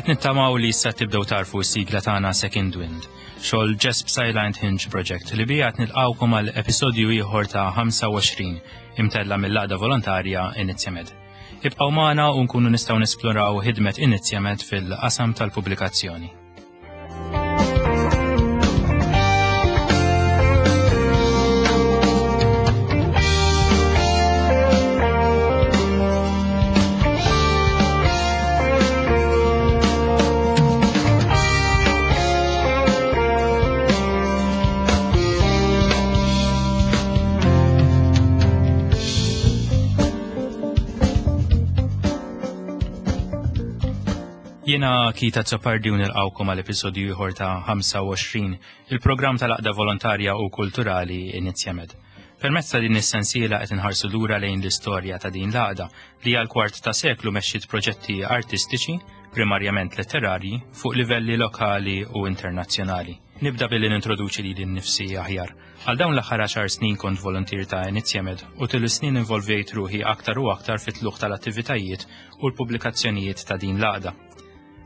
Qed nittamaw li issa tibdew tarfu s-sigla tagħna Second Wind, xogħol Jesp Silent Hinge Project li bija qed nilqgħukom għal episodju ieħor ta' 25 imtella mill-għaqda volontarja Inizjamed. Ibqgħu magħna u nkunu nistgħu nesploraw ħidmet Inizjamed fil-qasam tal-pubblikazzjoni. Jiena Kita Zopardi u nilqawkom għal episodju ieħor ta' 25, il-programm tal-Aqda Volontarja u Kulturali Inizjamed. Permezz ta' din is-sensiela qed inħarsu lura lejn l-istorja ta' din l-għaqda li għal kwart ta' seklu mexxiet proġetti artistiċi, primarjament letterarji, fuq livelli lokali u internazzjonali. Nibda billi nintroduċi lili nnifsi aħjar. Għal dawn l-aħħar għaxar snin kont voluntier ta' Inizjamed u tul is-snin involvejt ruħi aktar u aktar fit-tlugħ tal-attivitajiet u l-pubblikazzjonijiet ta' din l-għaqda.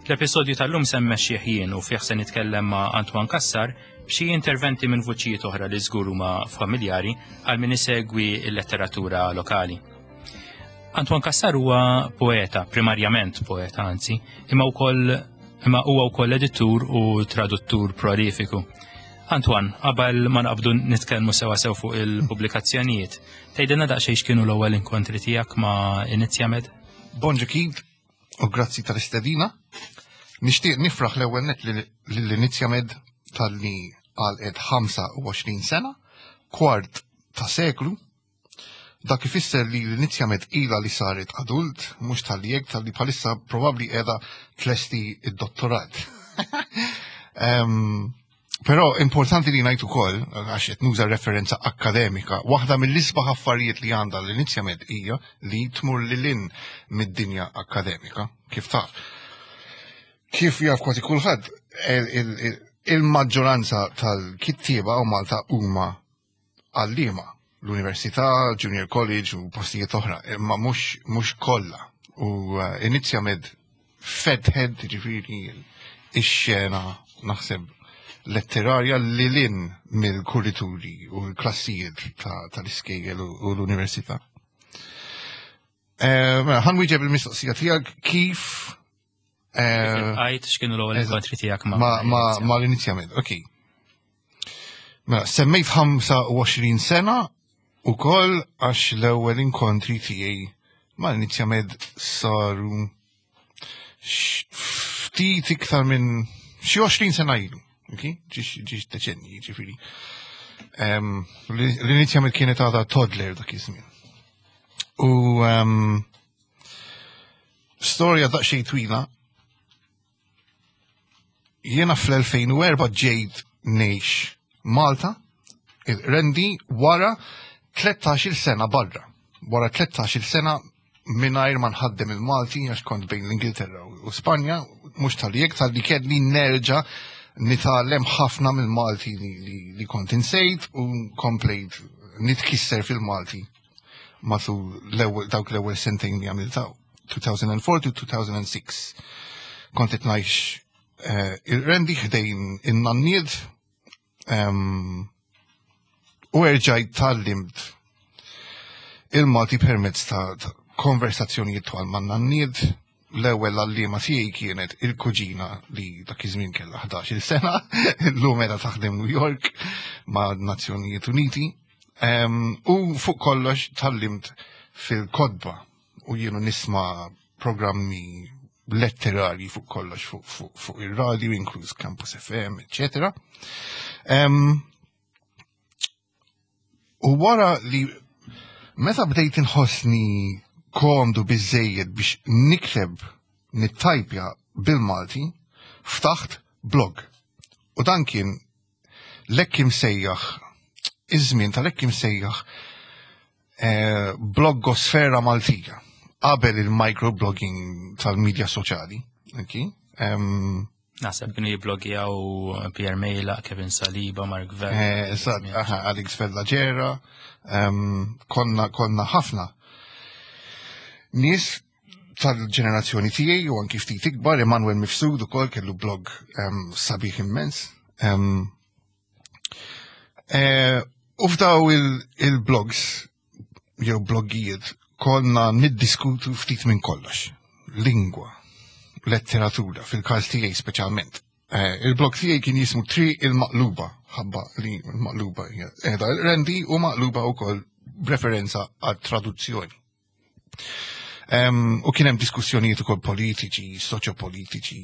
L-episodju tal-lum se mmexxih jien u fih se nitkellem ma' Antoine Cassar b'xi interventi minn vuċijiet oħra li żgur huma familjari għal min isegwi l-letteratura lokali. Antoine Cassar huwa poeta, primarjament poeta anzi, imma wkoll imma huwa wkoll editur u traduttur prolifiku. Antoine, qabel ma naqbdu nitkellmu sewa sew fuq il-pubblikazzjonijiet, tgħidilna daqsxejn x'kienu l-ewwel inkontri tiegħek ma' Inizjamed? Bonġu Keith, u grazzi tal-istedina. Nixtieq nifraħ l-ewwel net lill-Inizjamed talli għalqet 25 sena, kwart ta' seklu. Dak ifisser li l-Inizjamed ilha li saret adult, mhux talli hekk talli bħalissa probabbli qiegħda tlesti id-dottorat. Però importanti li ngħid ukoll, għax qed nuża referenza akkademika, waħda mill-isbaħ affarijiet li għandha l-Inizjamed hija li tmur lil hinn mid-dinja akkademika, kif taf. Kif jaf kważi kulħadd, il-maġġoranza tal-kittieba u Malta huma għalliema l-università, junior college u postijiet oħra, imma mhux kollha. U eh, Inizjamed fetħed ġifieri ix-xena naħseb letterarja li lin mill-kurituri u l-klassijiet tal-iskejjel u l-università. Eh, mela, ħan wieġeb il-mistoqsija tiegħek kif eh, Għajt x'kienu l-ewwel inkontri tiegħek ma' ma' l-inizjament, ok. Mela, semmejt 25 sena u koll għax l-ewwel inkontri tiegħi ma' l-inizjament saru ftit iktar minn xi 20 sena ilu. Ok? Ġiex deċenni, ġifieri. L-inizjament kienet għadha toddler dak iż-żmien. U storja daqsxejn twila Jiena fl-2004 ġejt ngħix Malta, il-rendi wara 13-il sena barra. Wara 13-il sena mingħajr ma nħaddem il-Malti għax kont bejn l-Ingilterra u Spanja, mhux tal-jek tal-li kelli nerġa' nitgħallem ħafna mill-Malti li, li, li kont insejt u komplejt nitkisser fil-Malti matul dawk l-ewwel sentejn li għamiltaw. 2004 to 2006. Kont qed ngħix eh, il-rendi ħdejn in-nannied ehm, u erġajt tallimt il-Malti permezz ta' konversazzjonijiet twal man nannied l-ewwel għalliema tiegħi kienet il-kuġina li dak iż-żmien kellha 11-il sena, illum qiegħda taħdem New York ma' Nazzjonijiet Uniti. Ehm, u fuq kollox tallimt fil-kodba u jienu nisma' programmi letterarji fuq kollox fuq fu, fu ir-radio, inkluż Campus FM, eccetera. U wara li meta bdejt inħossni komdu biżejjed biex nikteb nittajpja bil-Malti, ftaħt blog. U dan kien l-hekk imsejjaħ iż-żmien tal-hekk imsejjaħ eh, bloggosfera Maltija qabel il-microblogging tal-medja soċjali. Okay? Um, Naħseb kienu jibloggjaw Pierre Mejla, Kevin Saliba, Mark Vella. Eh, eżatt, aha, Alex Vella Ġera, konna konna ħafna. Nies tal-ġenerazzjoni tiegħi u anki ftit ikbar, Emanuel Mifsud ukoll kellu blog sabiħ immens. Eh, u f'daw il-blogs jew bloggijiet konna niddiskutu ftit minn kollox. Lingwa, letteratura, fil-każ tiegħi speċjalment. Eh, il-blog tiegħi kien jismu Tri il-Maqluba, ħabba li l-maqluba hija qiegħda rendi u maqluba wkoll b'referenza għat traduzzjoni. U kien hemm diskussjonijiet ukoll politiċi, soċjopolitiċi,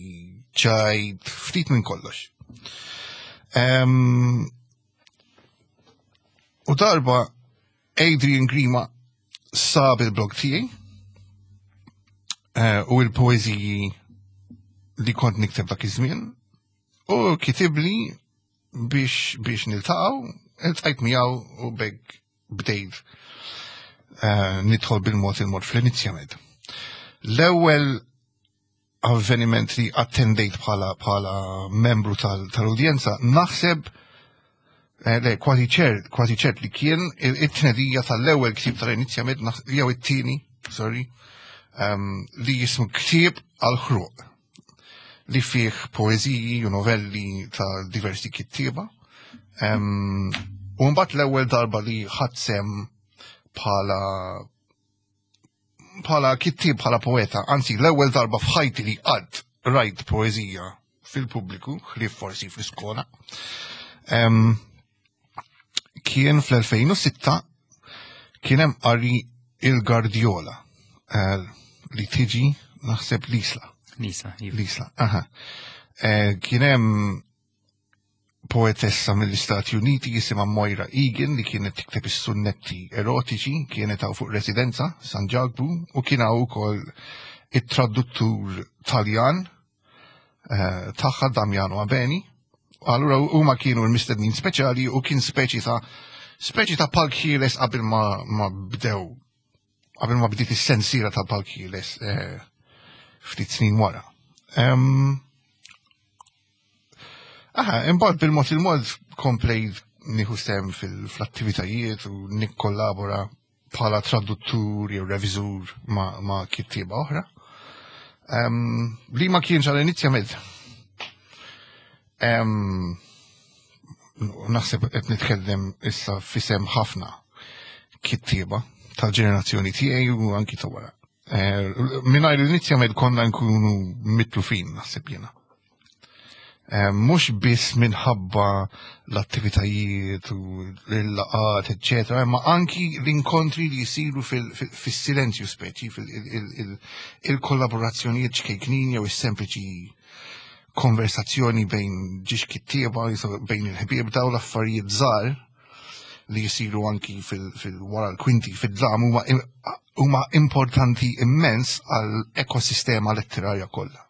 ċajt, ftit minn kollox. U darba Adrian Grima sab il-blog tiegħi eh, u l-poeżiji li kont nikteb dak iż-żmien u kitibli biex biex niltaqgħu, iltqajt miegħu u bek bdejt eh, nidħol bil-mod il-mod fl-inizjament. L-ewwel avveniment li attendejt bħala bħala membru tal-udjenza, naħseb eh, le, kważi ċert, kważi ċert li kien it-tnedija tal-ewwel ktieb tal-inizjament, jew it-tieni, sorry, um, li jismu ktieb għal-ħruq li fih poeżiji u novelli ta' diversi kittieba. Um, u mbagħad l-ewwel darba li ħadd sem bħala bħala kittieb bħala poeta, anzi l-ewwel darba f'ħajti li qatt rajt poeżija fil-pubbliku, ħlief forsi fl-iskola. Um, kien fl-2006 kien hemm qari il-Gardiola eh, li tiġi naħseb l-Isla. L-Isla, iva. L-Isla, aha. Eh, kien hemm poetessa mill-Istati Uniti jisimha Moira Egan li kienet tikteb is-sunnetti erotiċi, kienet hawn fuq residenza San Ġakbu u kien hawn ukoll it-traduttur Taljan eh, tagħha Damiano Abeni. Allura huma kienu l-mistednin speċjali u kien speċi ta' speċi ta' palk ħieles qabel ma, ma bdew qabel ma bdiet is-sensiela ta' palk ħieles eh, ftit snin wara. Um, aha, imbagħad bil-mod il-mod komplejt nieħu sem fil-attivitajiet u nikkollabora bħala traduttur jew reviżur ma, ma kittieba oħra. Um, li ma kienx għal inizjament. Um, naħseb qed nitkellem issa fisem ħafna kittieba tal-ġenerazzjoni tiegħi u anki ta' wara. Eh, mingħajr l-inizjament konna nkunu mitlufin naħseb jiena. Eh, mhux biss minħabba l-attivitajiet u l-laqat, eccetera, ma anki l-inkontri li jisiru fil-silenzju speċi, il-kollaborazzjonijiet ċkejknin jew is-sempliċi konversazzjoni bejn ġiex kittieba, bejn il-ħbieb daw l-affarijiet żgħar li jisiru anki fil-wara l-kwinti fid-dlam huma importanti immens għal ekosistema letterarja kollha.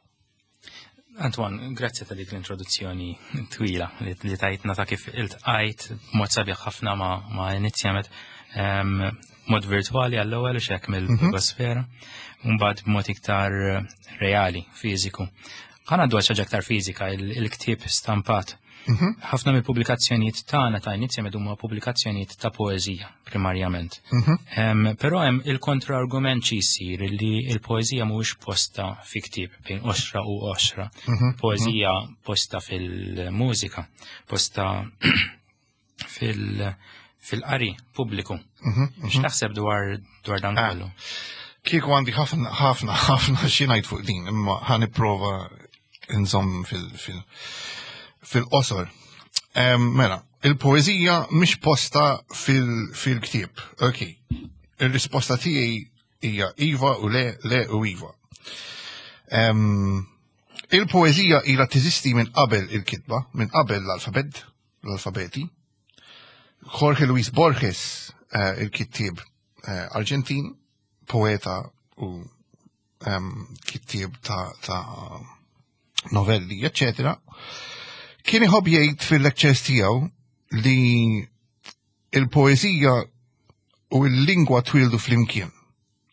Antoine, grazzi ta' dik l-introduzzjoni twila li tajtna ta' kif iltqajt mod sabiħ ħafna ma', ma inizjamet um, mod virtuali għall-ewwel xek mill-blogosfera, mhm. mbagħad b'mod iktar reali, fiżiku. Ħana għaddu għal aktar fiżika, il-ktieb stampat. Mhm. Ħafna mill-pubblikazzjonijiet tagħna ta' inizja huma pubblikazzjonijiet ta' poeżija primarjament. Mhm. Però hemm il-kontra-argument xi jsir li l-poeżija mhuwiex posta fi ktieb bejn oxra u oxra. Mhm. Poeżija posta fil-mużika, posta fil- fil-qari pubbliku. X'taħseb dwar dwar dan ah. kollu? Kieku għandi ħafna ħafna ħafna xi ngħid fuq din, imma ħa nipprova nżomm fil-qosor. Mela, il-poeżija mhix posta fil-ktieb. Ok. Ir-risposta tiegħi hija iva u le, le u iva. Il-poeżija ilha teżisti minn qabel il-kitba, minn qabel l-alfabet, l-alfabeti. Jorge Luis Borges, eh, il-kittieb eh, Arġentin, poeta u kittieb ta', ta novelli, eccetera, kien iħobb jgħid fil-lectures tiegħu li il-poeżija u l-lingwa twildu flimkien.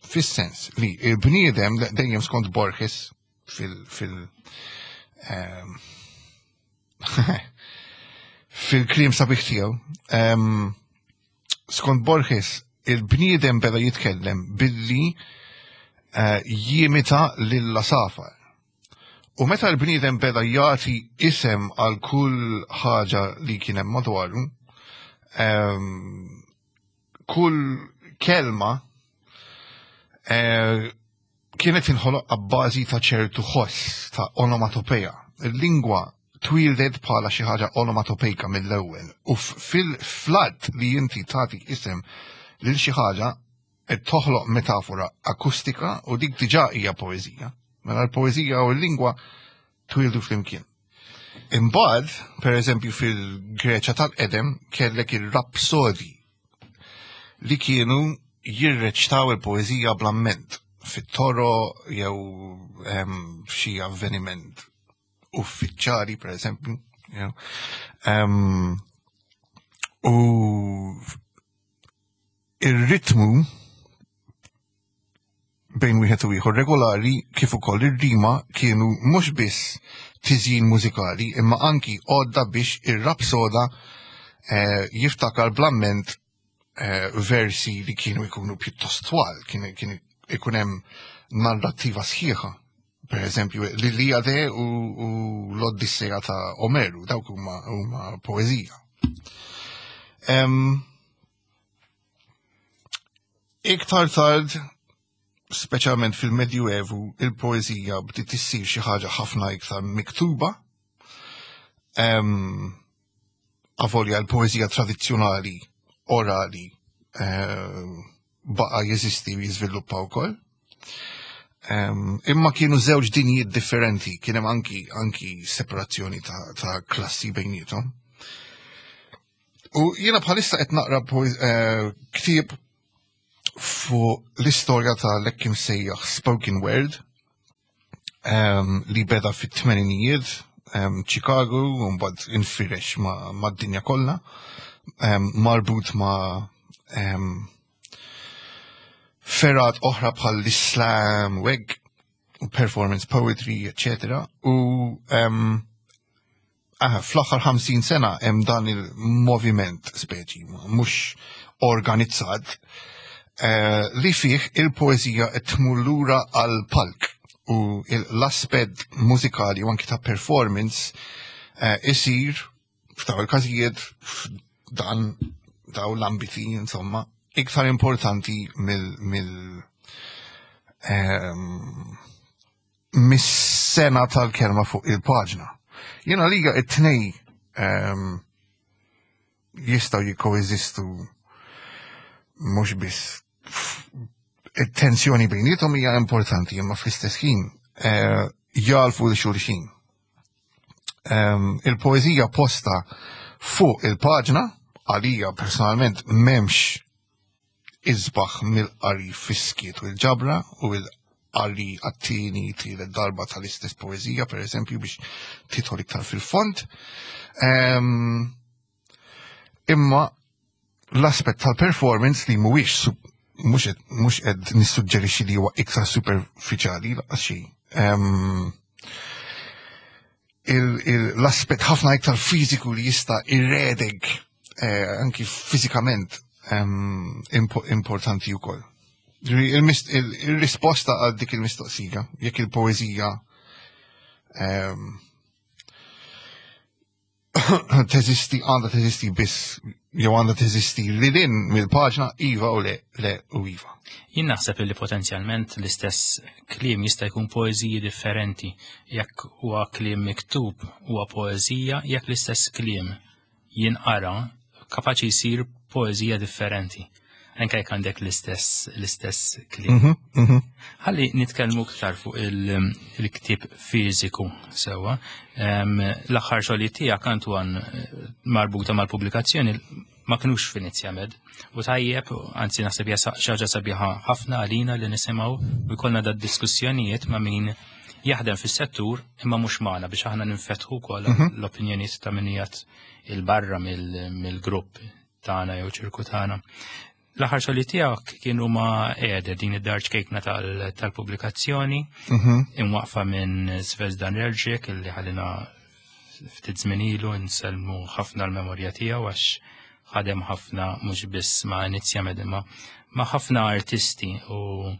Fis-sens li il-bniedem dejjem skont Borges fil fil ehm, fil-klim sabiħ tiegħu ehm, skont Borges il-bniedem beda jitkellem billi eh, jimita lill-lasafar. U meta l-bniedem beda jagħti isem għal kull ħaġa li kien hemm madwaru, ehm, kull kelma eh, kienet inħoloq abbażi ta' ċertu ħoss ta' onomatopeja. Il-lingwa twildet bħala xi ħaġa onomatopejka mill-ewwel u fil-flat li inti tagħti isem lil xi ħaġa qed toħloq metafora akustika u dik diġà hija poeżija. Mela l-poeżija u l-lingwa twildu flimkien. Imbagħad, per eżempju fil-Greċja tal-qedem kellek ir-rapsodi li kienu jirreċtaw il-poeżija bl-amment fit-toro jew f'xi avveniment uffiċjali per eżempju. U ir-ritmu bejn wieħed u ieħor regolari kif ukoll ir-rima kienu mhux biss tiżjin mużikali imma anki għodda biex ir-rapsoda eh, jiftakar bl-amment eh, versi li kienu jkunu pjuttost twal, kien ikun hemm narrattiva sħiħa. Per eżempju, l-Iliade u, u l-Oddissea ta' Omeru, dawk huma huma poeżija. Um, Iktar tard, speċjalment fil-Medjuevu, il-poeżija bdiet issir xi ħaġa ħafna iktar miktuba. Um, avolja l-poeżija tradizzjonali orali um, baqa jeżisti u jiżviluppa wkoll. Um, imma kienu żewġ dinjiet differenti, kien hemm anki anki separazzjoni ta', ta klassi bejnietom. U jiena bħalissa qed naqra eh, ktieb fuq l-istorja ta' l-ekkim sejjaħ spoken word ehm, li beda fit-tmeninijiet ehm, Chicago u mbagħad infirex mad-dinja kollha ehm, marbut ma' ferat oħra bħal l-Islam u hekk u performance poetry, etc. U Aha, fl-aħħar 50 sena hemm dan il-moviment speċi, mhux organizzat, eh, li fih il-poeżija qed tmur lura għal palk u l-aspett mużikali u anki ta' performance eh, isir f'daw il-każijiet f'dan daw l-ambiti insomma iktar importanti mill mill ehm, mis-sena tal-kelma fuq il-paġna. Jena liga it-tnej um, jistaw jikkoeżistu mhux biss it-tensjoni bejnietom hija importanti imma fl-istess ħin eh, jalfu l xulxin. Ehm, il-poeżija posta fuq il-paġna għalija personalment memx isbaħ mill-qari fis-skiet u l-ġabra u l-qari għat-tieni, tielet darba tal-istess poeżija, per eżempju, biex tidħol iktar fil-fond. Ehm, imma l-aspett tal-performance li mhuwiex mhux qed nissuġġerixxi li huwa iktar superfiċjali laqas xejn. Ehm, l-aspett ħafna iktar fiżiku li jista' irredeg eh, anki fiżikament ehm, importanti wkoll. Il-risposta għal dik il-mistoqsija, jekk il-poeżija ehm, teżisti għandha teżisti biss jew għandha teżisti li lin mill-paġna iva u le le u iva. Jien naħseb li potenzjalment l-istess kliem jista' jkun poeżiji differenti. Jekk huwa kliem miktub huwa poeżija, jekk l-istess kliem jinqara kapaċi jsir poeżija differenti. Anke jekk għandek l-istess l-istess kliem. Ħalli nitkellmu iktar fuq il-ktieb fiżiku sewwa. L-aħħar xogħlijiet tiegħek Antoine marbuta mal-pubblikazzjoni ma kinux f'Inizjamed. U tajjeb, anzi naħseb hija xi ħaġa sabiħa ħafna għalina li nisimgħu u jkollna da diskussjonijiet ma' min jaħdem fis-settur imma mhux magħna biex aħna ninfetħu wkoll l-opinjonijiet ta' min qiegħed il-barra mill-grupp tagħna jew ċirku tagħna. L-aħħar xogħli tiegħek kienu ma' Ede din id-dar ċkejkna tal-pubblikazzjoni imwaqfa minn Zvezdan Relġek illi ħalina ftit żmien ilu nsellmu ħafna l-memorja tiegħu għax ħadem ħafna mhux biss ma' Inizjamed imma ma' ħafna artisti u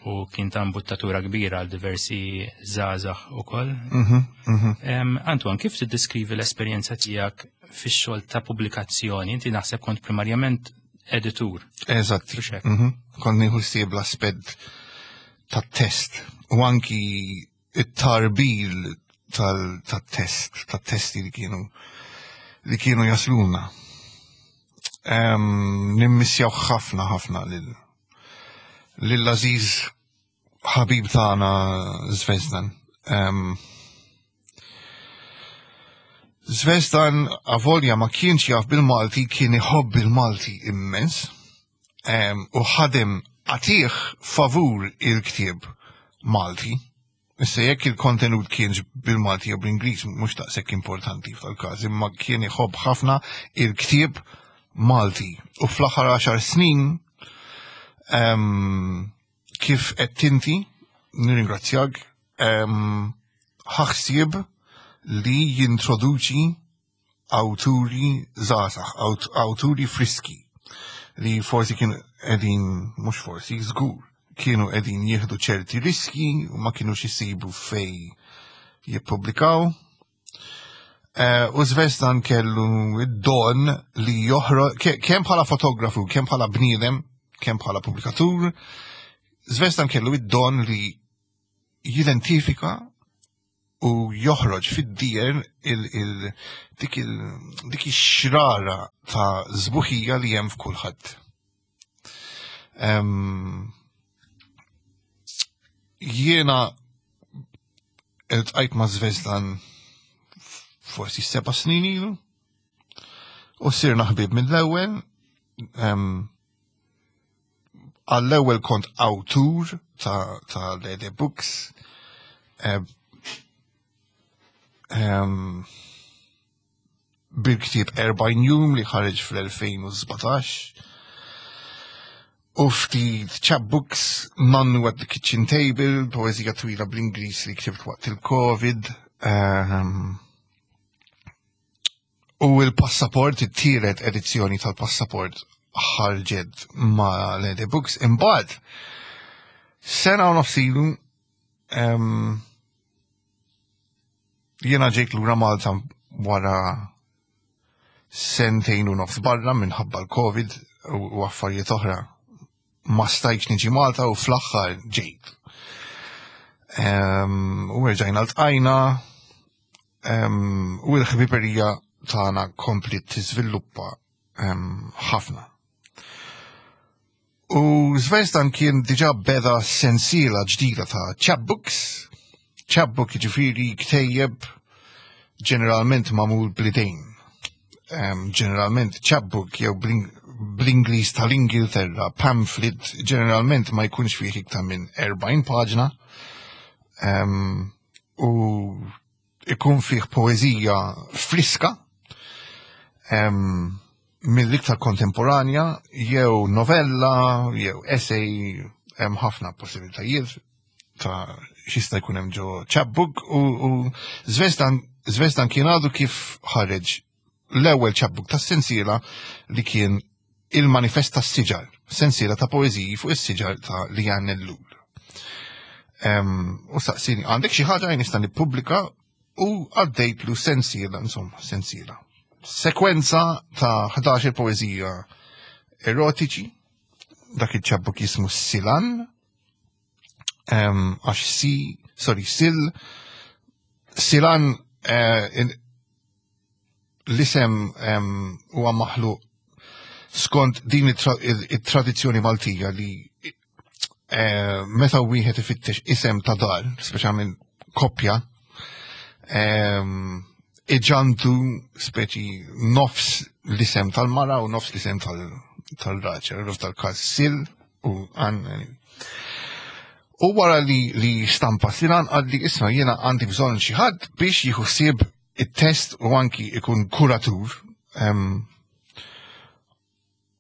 u kien ta' imbuttatura kbira għal diversi żgħażagħ ukoll. Antoine, kif tiddeskrivi l-esperjenza tiegħek fix-xogħol ta' pubblikazzjoni? Inti naħseb kont primarjament editur. Eżatt. Mhux hekk? Kont nieħu ħsieb l-aspett tat-test u anki it-tarbil tat-test, tat-testi li kienu jasluna. Nimmissjaw ħafna ħafna lil Aziz ħabib tagħna Zvezdan. Zvezdan avolja ma kienx jaf bil-Malti, kien iħobb il-Malti immens, u ħadem għatih favur il-ktieb Malti. Issa jekk il-kontenut kienx bil-Malti jew bl-Ingliż mhux daqshekk importanti f'tal-każ, imma kien iħobb ħafna il-ktieb Malti. U fl-aħħar 10 snin kif qed inti, nirringrazzjak, ħaħsieb li jintroduċi awturi żgħażagħ, awturi friski li forsi kienu qegħdin, mhux forsi, żgur, kienu qegħdin jieħdu ċerti riski u ma kienux isibu fej jippubblikaw. U Zvezdan kellu id-don li joħroġ, kemm bħala fotografu, kemm bħala bniedem, kemm bħala pubblikatur, Zvezdan kellu id-don li jidentifika u joħroġ fid-dier dik ix-xrara ta' żbuħija li hemm f'kulħadd. Jiena iltqajt ma' Zvezdan forsi 7 snin ilu u sirna ħbieb mill-ewwel. Għall-ewwel kont awtur ta' Lede Books. Bil-ktieb 40 jum li ħareġ fl-2017. U ftit chapbooks, Nannu at the Kitchen Table, poeżija twila bl-Ingliż li ktibt waqt il-Covid. U il-passaport, it-tielet edizzjoni tal-passaport ħarġet ma' Lede Books. Imbagħad, sena u nofs ilu, jiena ġejt lura Malta wara sentejn u nofs barra minħabba l-Covid u affarijiet oħra. Ma stajtx niġi Malta u fl-aħħar ġejt. U rġajna ltqajna, u l-ħbiberija tagħna kompli tiżviluppa ħafna. U Zvezdan kien diġà beda sensiela ġdida ta' chapbooks. Chapbook jiġifieri ktejjeb ġeneralment magħmul bl-idejn. Ġeneralment chapbook jew bl-Ingliż tal-Ingilterra pamphlet ġeneralment ma jkunx fih iktar minn 40 paġna. U ikun fih poeżija friska, mill-iktar kontemporanja, jew novella, jew essay, hemm ħafna possibilitajiet ta' xista jkun hemm ġo chapbook u Zvezdan kien għadu kif ħareġ l-ewwel chapbook tas-sensiela li kien il-Manifest tas-Siġar, sensiela ta' poeżiji fuq is-siġar ta' Lian Ellul. U saqsini, għandek xi ħaġa nista' nippubblika u għaddejtlu sensiela, insomma, sensiela. Sekwenza ta' 11 poeżija erotiċi, dak il-chapbook jismu Silan, għax si, sorry, sil, Silan, l-isem huwa maħluq. Skont din it-tradizzjoni Maltija li eh, meta wieħed ifittex isem ta' dar, speċjalment koppja, ehm, iġantu speċi nofs l-isem tal-mara u nofs l-isem tal-raġel, tal-każ sil u għan. U wara li, li stampa Silan għaddi isma jiena għandi bżonn xi ħadd biex jieħu ħsieb it-test u anki ikun kuratur. Um,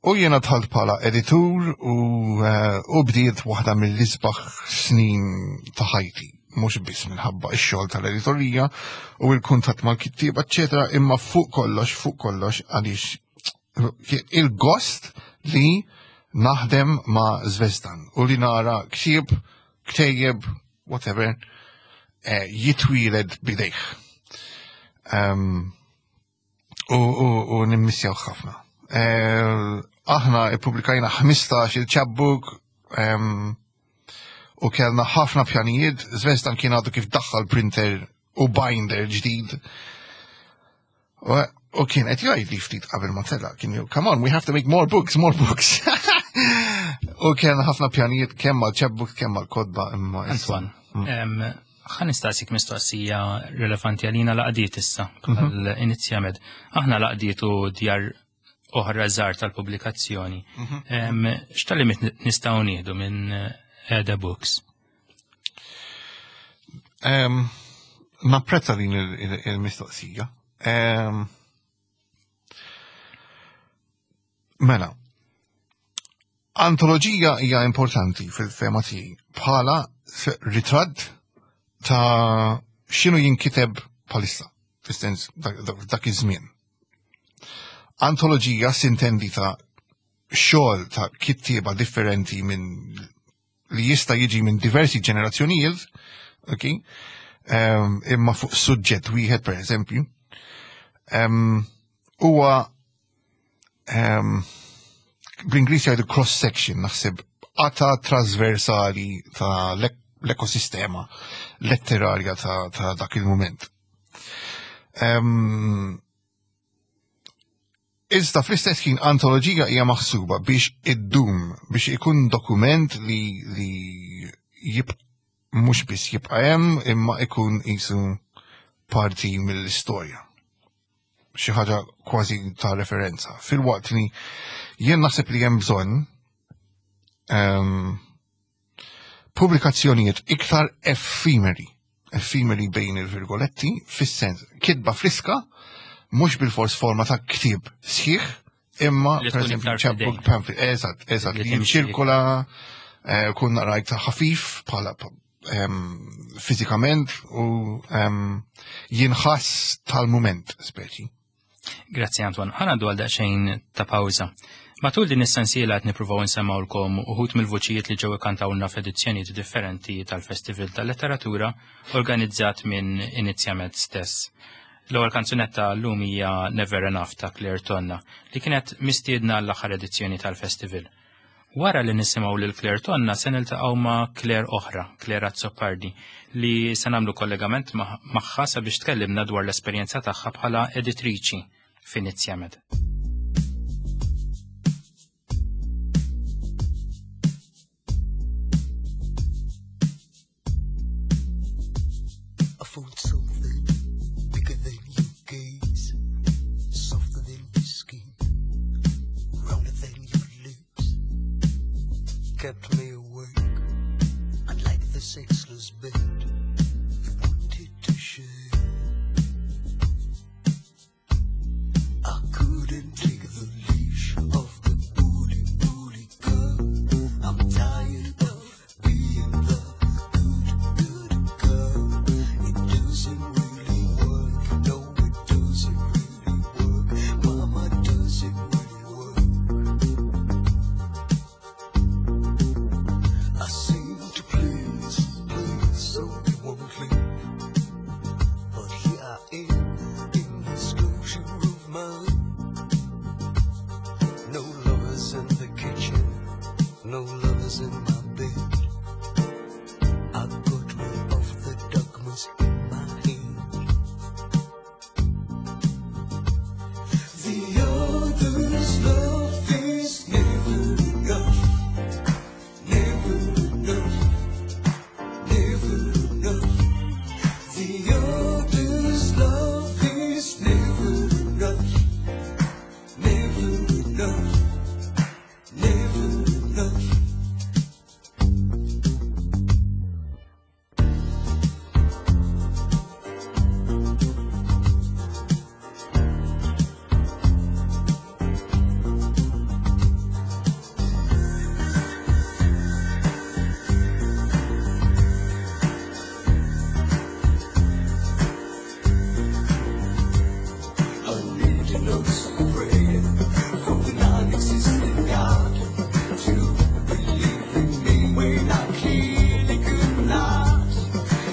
u jiena dħalt bħala editur u, uh, u bdiet waħda mill-isbaħ snin ta' ħajti mhux biss minħabba x-xogħol tal-editorija u l-kuntatt mal-kittieba, eċetera, imma fuq kollox, fuq kollox għaliex il-gost li naħdem ma' Zvezdan u li nara ksieb, ktejjeb, whatever, eh, jitwieled bidejh. Um, u, u, u nimmissjaw ħafna. Eh, aħna ippubblikajna 15 il-chapbook um, u kellna ħafna pjanijiet, Zvezdan kien għadu kif daħħal printer u binder ġdid. U kien qed jgħid li ftit qabel ma tela, kien ju, come on, we have to make more books, more books. U kien ħafna pjanijiet kemm mal chapbook kemm mal-kodba imma. Antoine, mm. ħa nistaqsik mistoqsija relevanti għalina laqdiet issa, mhm. għal-inizjamed. Aħna laqdiet u djar oħra żgħar tal-pubblikazzjoni. Mhm. X'talimit nistgħu nieħdu minn Eda Books? Napprezza din il-mistoqsija. Mela, antoloġija hija importanti fil-fema tiegħi bħala ritratt ta' x'inhu jinkiteb bħalissa, fis-sens dak iż-żmien. Antoloġija sintendi ta' xogħol ta' kittieba differenti minn li jista' jiġi minn diversi ġenerazzjonijiet, ok, um, imma fuq suġġett wieħed per eżempju, um, huwa um, bl-Ingliż jgħidu cross section naħseb qata trasversali ta' l-ekosistema letterarja ta', ta dak il-moment. Um, Iżda fl-istess ħin antoloġija hija maħsuba biex iddum, biex ikun dokument li, li jib, mhux biss jibqa' hemm imma ikun qisu parti mill-istorja. Xi ħaġa kważi ta' referenza. Filwaqt li jien naħseb li hemm bżonn um, pubblikazzjonijiet iktar effimeri, effimeri bejn il-virgoletti, fis-sens kitba friska, mhux bil-fors forma ta' ktieb sħiħ, imma per eżempju chapbook pamphlet, eżatt, eżatt, li jinċirkola, eh, kun rajt ħafif bħala ehm, fiżikament u ehm, jinħass tal-mument speċi. Grazzi Antoine. Ħa ngħaddu għal daqsxejn ta' pawża. Matul din is-sensiela qed nippruvaw insemmgħulkom uħud mill-vuċijiet li ġew ikantawlna f'edizzjonijiet differenti tal-Festival tal-Letteratura organizzat minn Inizjamed stess. L-ewwel kanzunetta llum hija Never Enough ta' Claire Tonna li kienet mistiedna l-aħħar edizzjoni tal-festival. Wara li nisimgħu lil Claire Tonna se niltaqgħu ma' Claire oħra, Claire Azzopardi, li se nagħmlu kollegament magħha sabiex tkellimna dwar l-esperjenza tagħha bħala editriċi f'Inizjamed. I found something bigger than your gaze, softer than your skin, rounder than your lips, kept me awake. Unlike the sexless bed you wanted to share. I couldn't take the leash off the bully, bully girl. I'm tired of being the good, good girl. It doesn't really work. No, it doesn't really work. Mama, does it really work? I seem to please, please, so you won't leave. But here I am in this closure of mine. No lovers in the kitchen, no lovers in my bed. I got rid of the dogmas in my head. The others love Taking notes, praying from the non-existent God to believe in me when I clearly could not.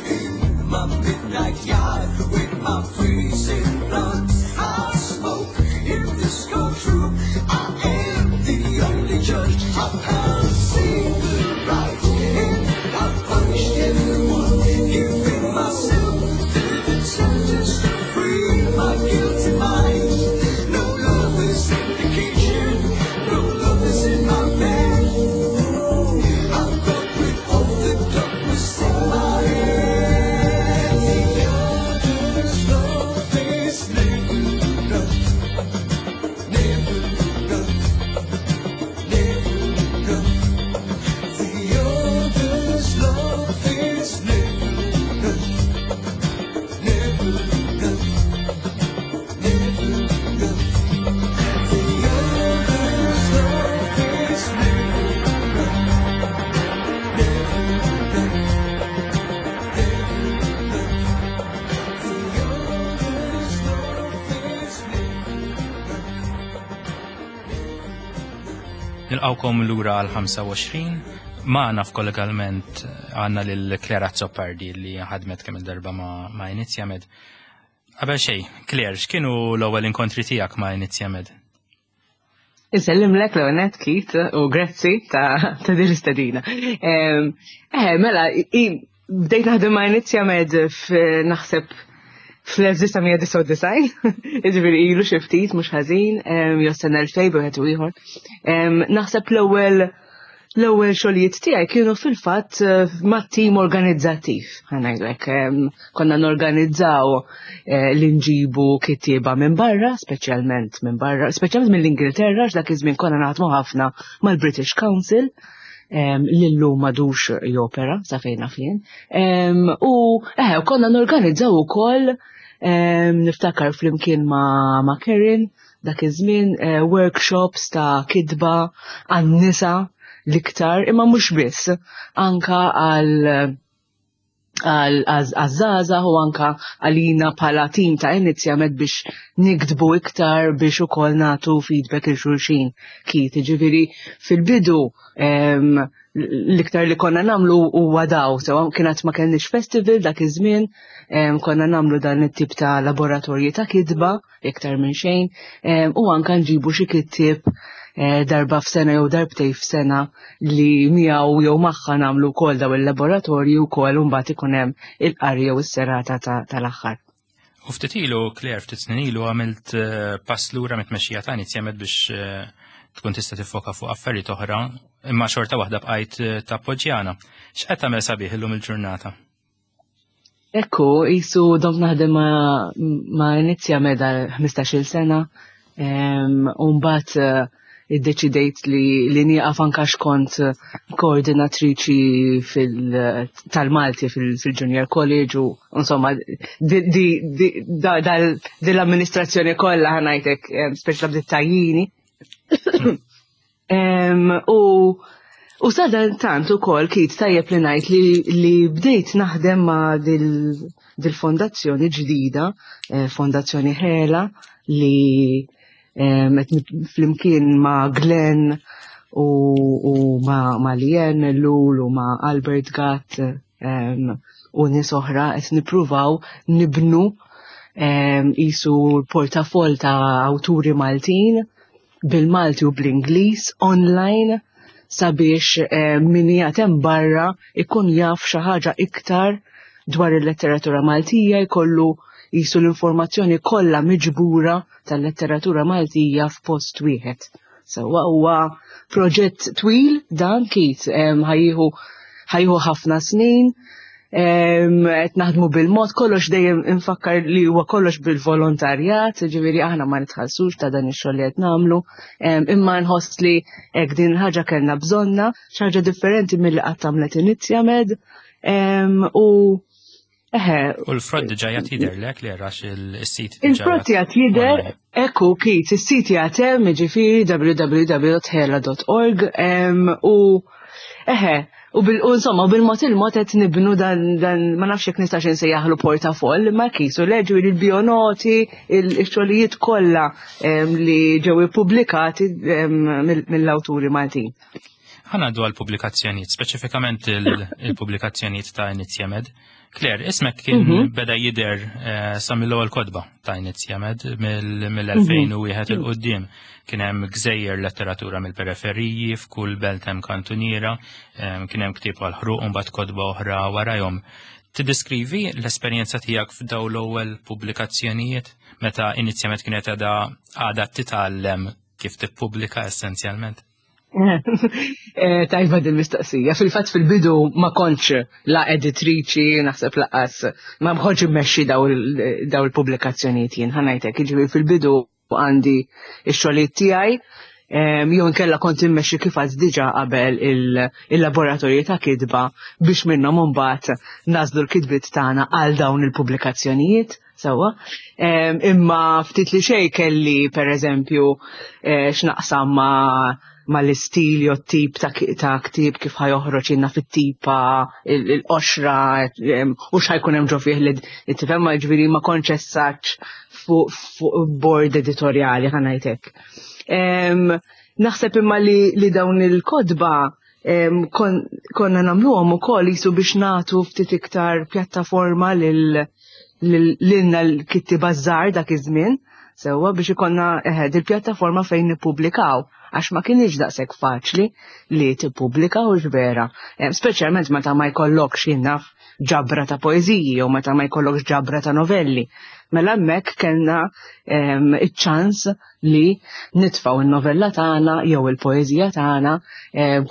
In my midnight yard with my freezing bloods, I smoke in this courtroom. I am the only judge. I've held single right and I've punished everyone, giving myself the sentence to free my guilty mind. No love is in the kitchen, no love is in my bed. I've got rid of the darkness in my head. The others love is never enough, never enough, never enough. The others love is never enough, never enough, never enough. The others love is never enough, never enough, never enough. The others love is never enough. Nilqawkom lura għal 25. Magħna f'kollegalment għandna lil Claire Azzopardi li ħadmet kemm il-darba ma' Inizjamed. Qabel xejn, Claire, x'kienu l-ewwel inkontri tiegħek ma' Inizjamed? Insellimlek l-għonet, Keith, u grazzi ta' din l-istedina. Mela, bdejt naħdem ma' Inizjamed naħseb fl-1999, jiġifieri ilu xi ftit mhux ħażin, jew sena 2000 wieħed u ieħor. Naħseb l-ewwel xogħlijiet tiegħi kienu fil-fatt ma' tim organizzattiv, ħa ngħidlek. Konna norganizzaw li nġibu kittieba minn barra, speċjalment minn barra, speċjalment mill-Ingilterra, għax dak iż-żmien konna naħdmu ħafna mal-British Council, li llum m'għadux jopera, sa fejn naf jien. U konna norganizzaw ukoll, niftakar flimkien ma' Karen, dak iż-żmien, workshops ta' kitba għan-nisa l-iktar, imma mhux biss, anka għaż-żgħażagħ u anka għalina bħala tim ta' Inizjamed biex niktbu iktar biex ukoll nagħtu feedback il xulxin. Keith, ġifieri fil-bidu l-iktar li konna nagħmlu huwa daw, sewa kienet ma kellniex festival dak iż-żmien, konna nagħmlu dan it-tip ta' laboratorji ta' kitba iktar minn xejn, u anka nġibu xi kittieb darba f'sena jew darbtej f'sena li miegħu jew magħha nagħmlu wkoll daw il-laboratorji wkoll u mbagħad ikun hemm il-qari jew is-serata tal-aħħar. U ftit ilu, Claire, ftit snin ilu għamilt pass lura mit-tmexxija ta' Inizjamed biex tkun tista' tiffoka fuq affarijiet oħra, imma xorta waħda bqajt tappoġġjana. X'qed tagħmel sabiħ illum il-ġurnata? Ekku, jisu dom naħdem ma' Inizjamed għal 15-il sena, u mbagħad iddeċidejt li nieqaf anka x'kont koordinatriċi tal-Malti fil-Junior College u insomma di l-amministrazzjoni kollha ħa ngħidlek, speċa bdiet tajjini. U sadantant ukoll Keith tajjeb li ngħid li bdejt naħdem ma' dil-fondazzjoni ġdida, Fondazzjoni Ħela, li qed flimkien ma' Glenn u ma' Lien Lul u ma' Albert Gatt u nies oħra qed nippruvaw nibnu isu l-portafoll ta' awturi Maltin bil-Malti u bl-Ingliż online sabiex min qiegħed hemm barra ikun jaf xi ħaġa iktar dwar il-letteratura Maltija, jkollu jisu l-informazzjoni kollha miġbura tal-letteratura Maltija f'post wieħed. Sewwa huwa proġett twil dan Keith, ħajjieħu ħafna snin, qed naħdmu bil-mod, kollox dejjem infakkar li huwa kollox bil-volontarjat, ġifieri aħna ma nitħallsux ta' dan ix-xogħol li qed nagħmlu, imma nħoss li hekk din il-ħaġa kellna bżonna, xi ħaġa differenti milli qatt għamlet Inizjamed, u eħe. U l-frott diġà jgħid jidher lek li għax il-sit diġà Il-frott jgħid jidher, online. Ekku, Keith, is-sit jgħid hemm, jiġifieri w w w dot hela dot org, u eħe, U bil insomma, bil-mod il-mod qed nibnu dan, dan ma nafx jekk nistax insejjaħlu portafoll, ma kisu leġu il-bionoti, il-xogħlijiet kollha li ġew ippubblikati mill-awturi Maltin. Ħanaddu għal pubblikazzjonijiet, speċifikament il-pubblikazzjonijiet ta' Inizjamed. Claire, ismek kien mhm. beda jider eh, sa mill-ewwel kodba ta' Inizjamed mill-2001 mhm. il-qudiem. Kien hemm gżejjer letteratura mill-periferiji, f'kull belt hemm kantuniera, kien hemm ktieb għal ħruq u mbagħad kodba oħra warajhom. Tiddeskrivi l-esperjenza tiegħek f'daw l-ewwel pubblikazzjonijiet meta Inizjamed kienet għadha għadha titgħallem kif tippubblika essenzjalment? Eh, tajba din mistoqsija. Fil-fatt fil-bidu ma kontx la editriċi, naħseb laqas, ma mħoġ immexxi daw il-pubblikazzjonijiet jien ħanajtek. Jiġifieri fil-bidu għandi x-xogħlijiet tiegħi, jew inkella kont immexxi kif għad diġà qabel il-laboratorji ta' kitba biex minnhom imbagħad nażlu l-kitbiet tagħna għal dawn il-pubblikazzjonijiet. Sewwa. Imma ftit li xejn kelli pereżempju eh, x'naqsam ma' ma l-istil jew tip ta' ktieb kif ħajoħroġ inna fit-tipa il-qoxra u x'ħajkun hemm ġo fih li tifhem ma ġifieri ma kontx fuq board editorjali ħanajtek. Naħseb imma li dawn il-kodba konna nagħmluhom ukoll jisu biex nagħtu ftit iktar pjattaforma lil lilna l-kittieba żgħar dak iż-żmien, sewwa biex ikollna eħe il-pjattaforma fejn nippubblikaw għax ma kienx daqshekk faċli li tippubblika u vera. Speċjalment meta ma jkollokx jien naf ġabra ta' poeżiji jew meta ma jkollokx ġabra ta' novelli. Mela hemmhekk kellna iċ-ċans li nitfgħu n-novella tagħna jew il-poeżija tagħna,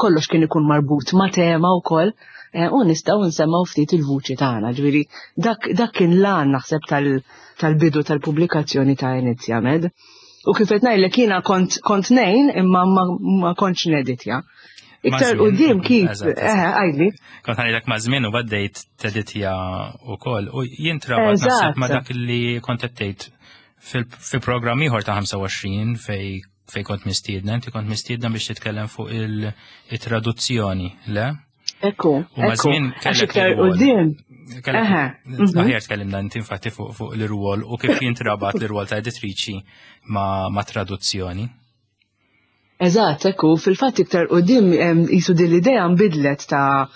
kollox kien ikun marbut ma' tema wkoll eh, u nistgħu nsemmaw ftit il-vuċi tagħna. Ġifieri dak, dak kien lan naħseb tal-bidu tal tal-pubblikazzjoni ta' Inizjamed. U kif qed ngħidlek jiena kont kont nejn imma ma, ma kontx neditja. Iktar qudiem kif, eh, għajli. Kont ngħidlek ma' żmien u baddejt teditja wkoll u jintrabat naħseb ma' dak li kont qed tgħid fil-programm ieħor ta' 25 fej fej kont mistiedna, inti kont mistiedna biex titkellem fuq il-traduzzjoni, le? Ekku, ekku. Għax iktar qudiem. Mhm. Aħjar tkellimna inti infatti fuq l-irwol u kif jintrabat l-irwol ta' editriċi ma' traduzzjoni. Eżatt, ekku, fil-fatt iktar qudiem jisu din l-idea nbidlet ta'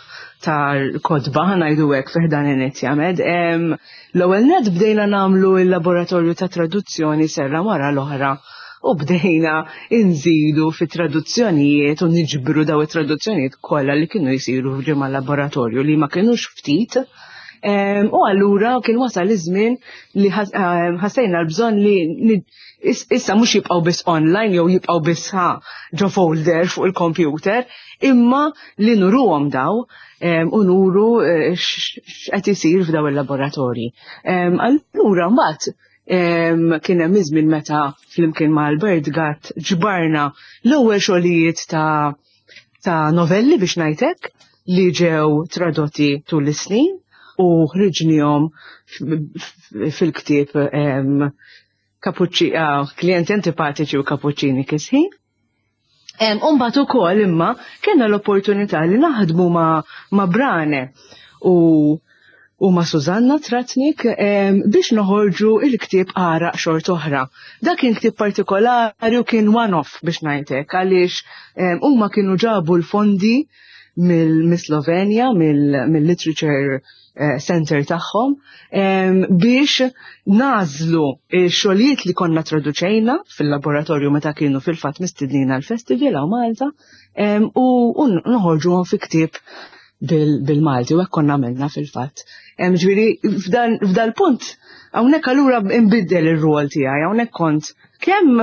ta' kodba ħanajdu hekk fih dan inizjamed. L-ewwel net bdejna nagħmlu l-laboratorju ta' traduzzjoni serra wara l-oħra u bdejna nżidu fi traduzzjonijiet u niġbru daw it-traduzzjonijiet kollha li kienu jsiru f'ġimgħa laboratorju li ma kinux ftit. U allura kien wasal iż-żmien li ħassejna l-bżonn li issa mhux jibqgħu biss online jew jibqgħu biss ha ġo folder fuq il-computer, imma li nuruhom daw u nuru eh, x'qed isir f'daw il-laboratorji. Allura mbagħad kien hemm iż-żmien meta flimkien ma' Albert Gatt ġbarna l-ewwel xogħlijiet ta' ta' novelli biex ngħidlek li ġew tradotti tul is-snin u ħriġnihom fil-ktieb kapuċċi, ah, klijenti antipatiċi u kapuċċini kisħin. Umbat ukoll imma kellna l-opportunità li naħdmu ma', ma Brane u u ma' Susanna Tratnik biex noħorġu il-ktieb Għaraq Xort Oħra. Dak kien ktieb partikolari u kien one-off biex ngħidlek għaliex huma kienu ġabu l-fondi mill-Slovenja, mill-Literature eh, Center tagħhom biex nażlu x-xogħlijiet li konna traduċejna fil-laboratorju meta kienu fil-fatt mistednin għall-festival hawn Malta u noħorġuhom fi ktieb bil-Malti u hekk konna għamilna fil-fatt. Ġifieri f'dal-punt hawnhekk allura nbiddel ir-rwol tiegħi, hawnhekk kont kemm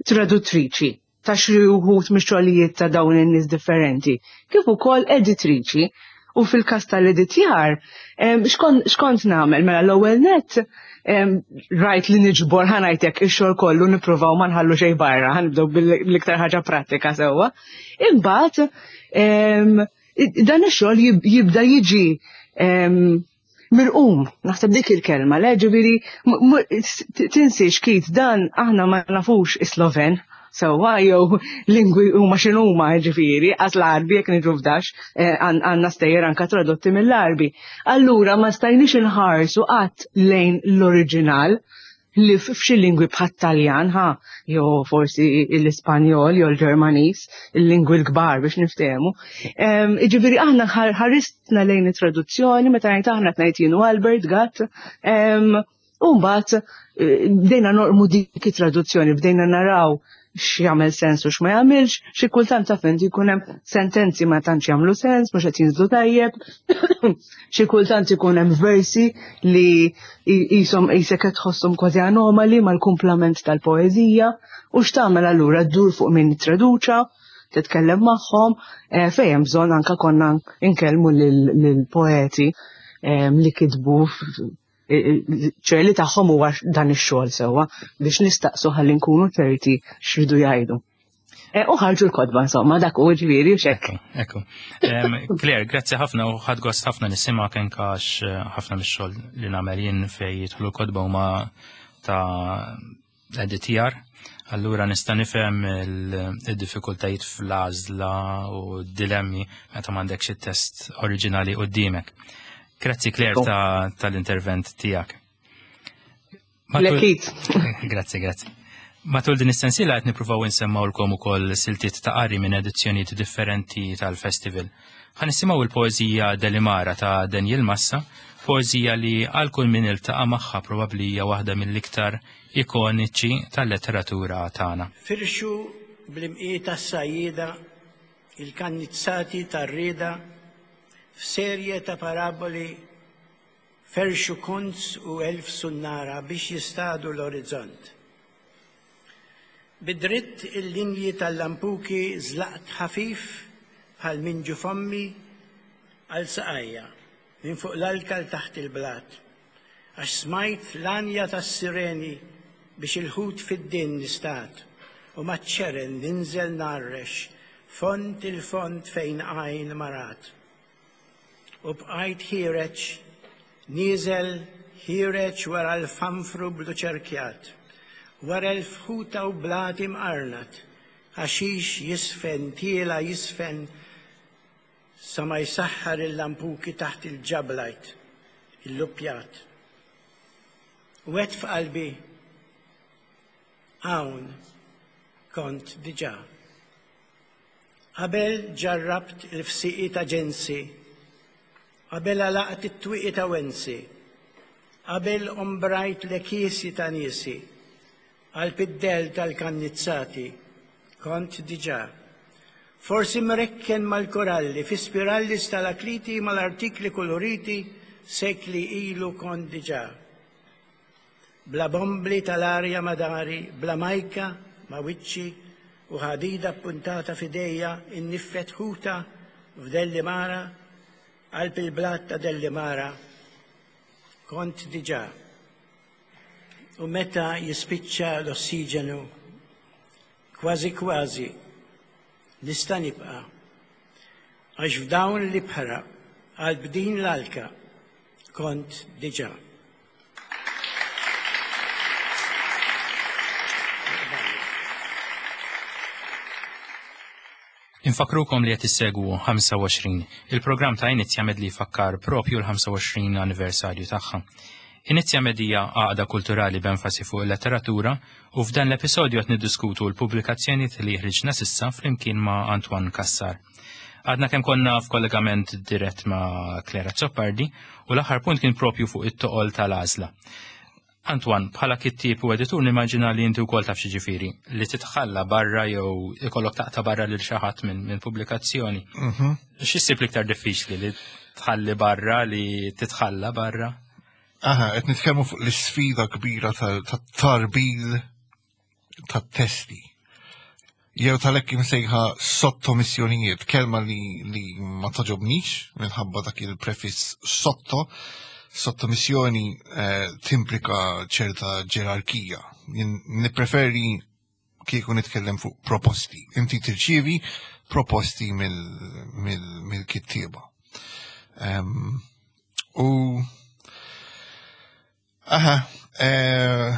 traduttriċi ta' xi wħud mix-xogħlijiet ta' dawn in-nies differenti, kif ukoll editriċi. U fil-każ tal-editjar, x'kont nagħmel? Mela l-ewwel net rajt li niġbor ħanajtek ix-xogħol kollu nippruvaw ma nħallu xejn barra, ħanibdew bil-iktar ħaġa prattika sewwa. Imbagħad dan ix-xogħol jibda jiġi mirqum, naħseb dik il-kelma, le ġifieri tinsiex kit dan aħna ma nafux is-Sloven. sewwa jew lingwi huma x'inhuma ġifieri, qas l-Għarbi jekk niġu f'dax eh, għandna stejjer anka tradotti mill-Għarbi. Allura ma stajniex inħarsu qatt lejn l-oriġinal li f'xi lingwi bħat-Taljan ħa, jew forsi l-Ispanjol jew l-Ġermaniż, il-lingwi l-kbar biex niftehmu. Jiġifieri aħna ħaristna lejn it-traduzzjoni meta ngħid aħna qed ngħid jien u Albert Gatt. U mbagħad eh, bdejna norqmu dik it-traduzzjoni, bdejna naraw x'jagħmel sens u x'ma jagħmilx, xi kultant taf inti jkun hemm sentenzi ma tantx jagħmlu sens, mhux qed jinżlu tajjeb, xi kultant ikun hemm versi li qishom qisek qed tħosshom kważi anomali mal-kumplament tal-poeżija u x'tagħmel allura ddur fuq min ittraduċa, titkellem magħhom, eh, fejn hemm bżonn anke konna nkellmu lill-poeti eh, li kitbu ċer li tagħhom huwa dan ix-xogħol sewwa biex nistaqsu ħalli nkunu ċerti x'ridu jgħidu. E, u ħarġu l-kodba insomma dak u ġifieri u xekk. Ekku. Claire, grazzi ħafna u ħadd gost ħafna nisimgħek kenkax eh, ħafna mix-xogħol li nagħmel jien fejn jidħlu l-kodba huma ta' editjar, allura nista' nifhem il-diffikultajiet fl-għażla u d-dilemmi meta m'għandekx it-test oriġinali quddiemek. Grazzi Claire tal-intervent tiegħek. Lekit. Grazzi, grazzi. Matul din is-sensiela qed nippruvaw insemmawlkom ukoll siltiet ta' qari minn edizzjonijiet differenti tal-festival. Ħa nisimgħu l-poeżija Delimara ta' Daniel Massa, poeżija li għal kull min iltaqa' magħha probabbli hija waħda mill-iktar ikoniċi tal-letteratura tagħna. Firxu bl-imqieta s-sajjieda il-kannizzati tar-rieda f'serje ta' paraboli ferxu kunz u elf sunnara biex jistadu l-orizzont. Bi dritt il-linji tal-lampuki żlaqt ħafif bħal minn ġu fommi għal saqajja, minn fuq l-alka 'l taħt il-blat, għax smajt l-għanja tas-sireni biex il-ħut fid-din nistad u maċ-ċeren ninżel ngħarrex fond il-fond fejn għajn ma rat. U bqajt ħiereġ, nieżel ħiereġ wara l-fanfru blu ċerkjat, wara l-fħuta u blat imqarnat, ħaxix jiżfen, tiela' jiżfen sa ma jsaħħar il-lampuki taħt il-ġablajt, il-luppjat. U għedt f'qalbi, Hawn kont diġà. Qabel ġarrabt il-fsieqi ta' ġensi, qabel għalaqt it-twieqi ta' wensi, qabel ombrajt l-għekiesi ta' niesi, qalb id-dell tal-kannizzati, kont diġà. Forsi mrekken mal-koralli, fi spiralli stalakliti mal-artikli kuluriti, sekli ilu kont diġà. Bla bombli tal-arja ma' dari, bla majka ma' wiċċi u ħadida ppuntata f'idejja inniffet ħuta f'Dellimara, qalb il-blat ta' Dellimara. Kont diġà. U meta jispiċċa l-ossiġenu, kważi kważi nista' nibqa' għax f'dawn l-ibħra qalb din l-alka kont diġà. Infakkrukom li qed issegwu 25, il-programm ta' Inizjamed li jfakkar propju l-25 anniversarju tagħha. Inizjamed hija għaqda kulturali b'enfasi fuq il-letteratura u f'dan l-episodju qed niddiskutu l-pubblikazzjonijiet li ħriġna s'issa flimkien ma' Antoine Cassar. Għadna kemm konna f'kollegament dirett ma' Claire Azzopardi u l-aħħar punt kien propju fuq it-toqol tal-għażla. Antoine, bħala kittieb u editur nimmaġina li inti wkoll taf xi li titħalla barra jew ikollok taqta' barra lil xi ħadd minn min pubblikazzjoni. Mhm. X'issib l-iktar diffiċli li tħalli barra li titħalla barra? Aha, qed nitkellmu fuq l-isfida kbira tat-tarbil tat-testi. Jew tal-hekk imsejħa sottomissjonijiet, kelma li, li ma toġobnix minħabba dak il-prefiss sotto, sottomissjoni eh, timplika ċerta ġerarkija. Jien nippreferi kieku nitkellem fuq proposti. Inti tirċievi proposti mill-kittieba. Mil, u Aha, eh,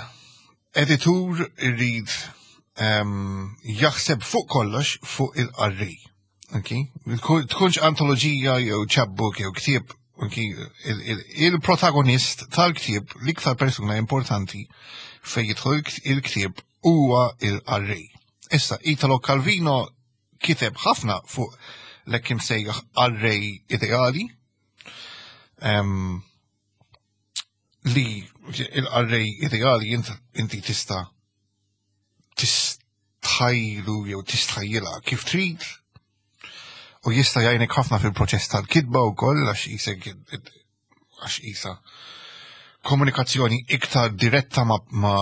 editur irrid Jaħseb fuq kollox fuq il-qarrej. Okay? Tkunx antoloġija jew chapbook jew ktieb, okay? Il-protagonist tal-ktieb, l-iktar persuna importanti fejn jidħol il-ktieb huwa il-qarrej. Issa, Italo Calvino kiteb ħafna fuq l-hekk imsejjaħ qarrej ideali. Li il-qarrej ideali inti tista' tistħajlu jew tistħajjilha kif trid u jista' jgħinek ħafna fil-proċess tal-kitba wkoll għax isek għax isa komunikazzjoni iktar diretta ma, ma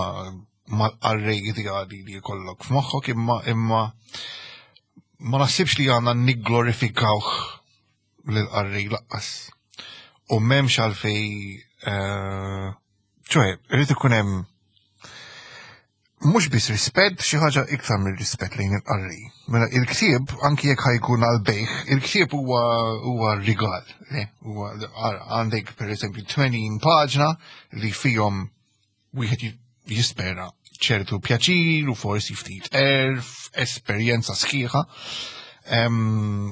mal-qarrej ideali li jkollok f'moħħok imma imma ma naħsibx li għandna nigglorifikawh lill-qarrej laqqas. U m'hemmx għalfej eh, ċoħe, irid ikun hemm mhux biss rispett, xi ħaġa iktar mir-rispett lejn il-qarrej. Mela il-ktieb anki jekk ħajkun għal bejħ, il-ktieb huwa huwa rigal, huwa għandek pereżempju 80 paġna li fihom wieħed jispera ċertu pjaċir u forsi ftit erf, esperjenza sħiħa.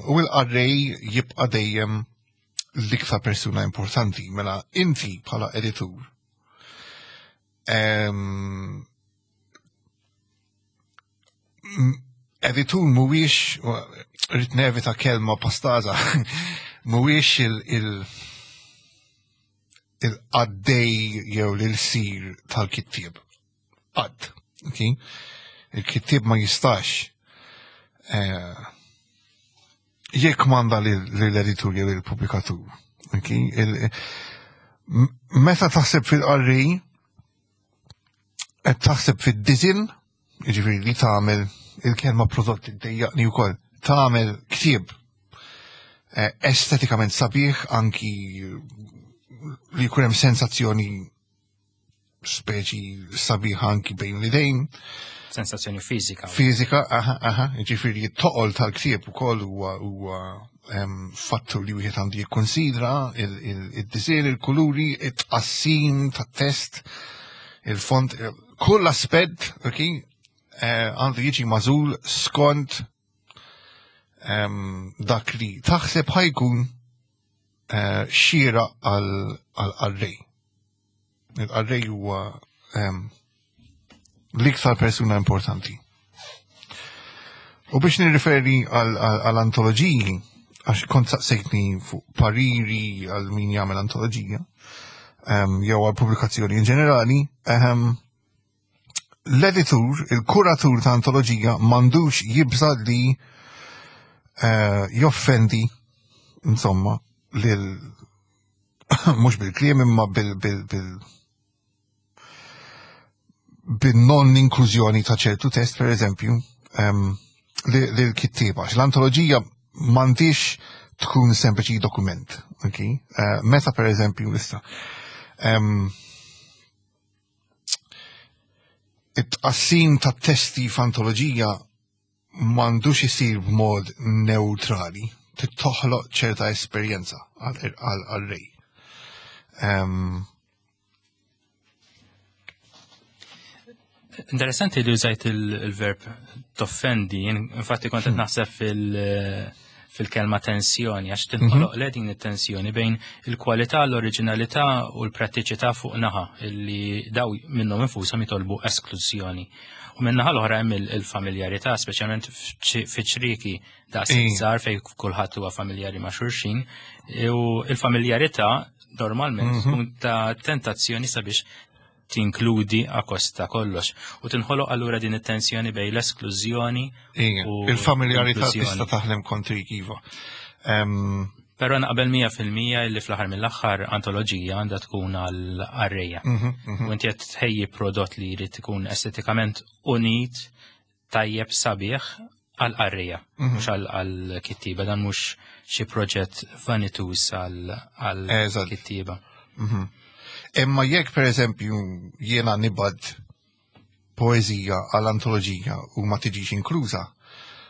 U l-qarrej jibqa' dejjem l-iktar persuna importanti, mela inti bħala editur. Editur mhuwiex rrid nevita kelma pastaza, mhuwiex il- il-qaddej jew l-sir tal-kittieb. Qatt, okay? Il-kittieb ma jistax eh, jekk manda l-editur jew il-pubblikatur. Okay? Meta taħseb fil-qarri, qed taħseb fid-diżin, jiġifieri li tagħmel il-kelma prodott iddejjaqni wkoll, tagħmel ktieb eh, estetikament sabiħ anki li jkun hemm sensazzjoni speċi sabiħa anki bejn l-idejn. Sensazzjoni fiżika. Fiżika, aha, aha, jiġifieri t-toqol tal-ktieb ukoll huwa huwa fattur li wieħed għandu jikkonsidra il-disir, il-kuluri, it-tqassim tat-test, il-font, kull aspett, ok, eh, għandu jiġi mażul skont dak li taħseb ħajkun eh, xira għal-qarrej. Il-qarrej huwa l-iktar persuna importanti. U biex nirriferi għal-antoloġiji, għax kont saqsejtni fuq pariri għal min jagħmel antoloġija, jew għal pubblikazzjoni in ġenerali, l-editur, il-kuratur ta' antoloġija m'għandux jibża li eh, joffendi, insomma, lil mhux bil-kliem imma bil bil bil bin-non inklużjoni ta' ċertu test, per eżempju, li l-kittieba. L-antoloġija m'għandix tkun sempliċi dokument. Okay? Eh, meta per eżempju issa. It-tqassim ta' testi f'antoloġija m'għandux isir b'mod neutrali, trid toħloq ċerta esperjenza għal-rej. Interessanti li użajt il-verb toffendi, infatti kont qed hmm. naħseb fil- fil-kelma tensjoni, għax tinħoloq mhm. le din it-tensjoni bejn il-kwalità, l-oriġinalità u l-prattiċità fuq naħa illi daw minnhom infushom jitolbu esklużjoni. U minn naħa l-oħra hemm il-familjarità, speċjalment fi ċriki daqs żgħar fejn kulħadd huwa familjari ma' xulxin, u il-familjarità normalment mhm. tkun ta' tentazzjoni sabiex tinkludi akost ta' kollox. U tinħoloq allura din it-tensjoni bejn l-esklużjoni u il-familjarità tista' taħdem kontrik iva. Però naqbel 100% li fl-aħħar mill-aħħar antoloġija għandha tkun għal qarrejja. Mhm, mhm. U inti qed tħejji prodott li jrid ikun estetikament unit, tajjeb sabiħ għal qarrejja, mhm. mhux għal kittiba, dan mhux xi proġett vanitus għal kittiba. Imma jekk pereżempju jiena nibad poeżija għal antoloġija u ma tiġix inkluża,